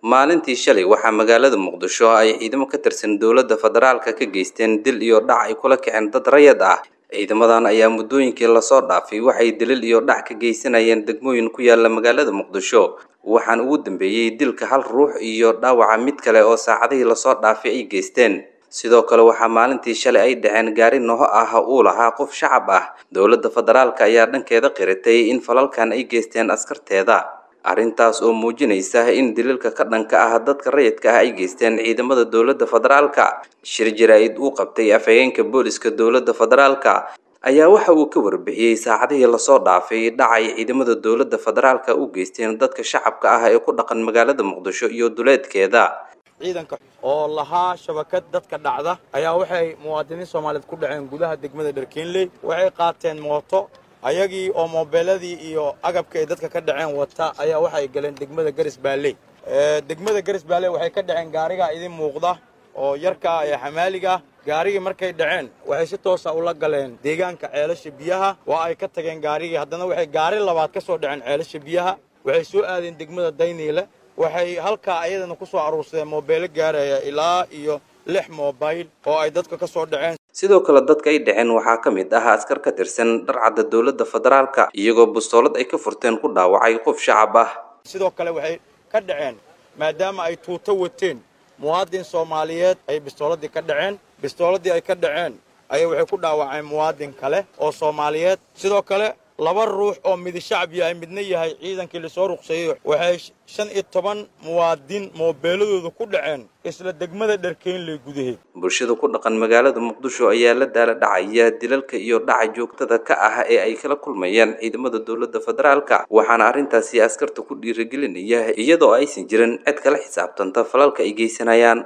Maalintii shalay waxaa magaalada Muqdisho ay ciidamo ka tirsan dowladda federaalka ka geysteen dil iyo dhac ay kula kaceen dad rayid ah. Ciidamadan ayaa muddooyinkii lasoo dhaafay waxay dilal iyo dhac ka geysanayeen degmooyin ku yaala magaalada Muqdisho, waxaana ugu dambeeyey dilka hal ruux iyo dhaawaca mid kale oo saacadihii lasoo dhaafay ay geysteen. Sidoo kale waxaa maalintii shalay ay dhaceen gaari noho ah uu lahaa qof shacab ah. Dowladda federaalka ayaa dhankeeda qiratay in falalkan ay geysteen askarteeda, arrintaas oo muujinaysa in dilalka ka dhanka ah dadka rayidka ah ay geysteen ciidamada dowladda federaalka. Shir jaraa'id uu qabtay afhayeenka booliska dowladda federaalka ayaa waxa uu ka warbixiyey saacadihii lasoo dhaafay dhacay ciidamada dowladda federaalka u geysteen dadka shacabka ah ee ku dhaqan magaalada Muqdisho iyo duleedkeeda. Ciidanka oo lahaa shabakad dadka dhacda ayaa waxay muwaadiniin Soomaaliyeed ku dhaceen gudaha degmada Dharkeenley. Waxay qaateen mooto, ayagii oo moobeeladii iyo agabka ay dadka ka dhaceen wata ayaa waxay galeen degmada Garis Baalley. Degmada Garis Baalley waxay ka dhaceen gaarigaa idin muuqda oo yarkaa ee xamaaliga. Gaarigii markay dhaceen waxay si toosa ula galeen deegaanka Ceelasha Biyaha, waa ay ka tageen gaarigii. Haddana waxay gaari labaad ka soo dhaceen Ceelasha Biyaha, waxay soo aadeen degmada Dayniile, waxay halkaa ayadana ku soo aruursadeen moobeelo gaaraya ilaa iyo 6 moobayl oo ay dadka ka soo dhaceen. Sidoo kale dadka ay dhaceen waxaa ka mid ah askar ka tirsan dharcadda dowladda federaalka, iyagoo bustoolad ay ka furteen ku dhaawacay qof shacab ah. Sidoo kale waxay ka dhaceen, maadaama ay tuuto wateen, muwaadin Soomaaliyeed ay bistooladii ka dhaceen. Bistooladii ay ka dhaceen ayay waxay ku dhaawaceen muwaadin kale oo Soomaaliyeed. Sidoo kale 2 ruux oo midi shacab yahay midna yahay ciidankii lasoo ruqseeyey, waxay 15 muwaadin moobeeladooda ku dhaceen isla degmada Dharkeynley gudaheed. Bulshada ku dhaqan magaalada Muqdisho ayaa la daala dhacaya dilalka iyo dhaca joogtada ka ah ee ay kala kulmayaan ciidamada dowladda federaalka, waxaana arrintaasi askarta ku dhiirigelinaya iyadoo aysan jirin cid kala xisaabtanta falalka ay geysanayaan.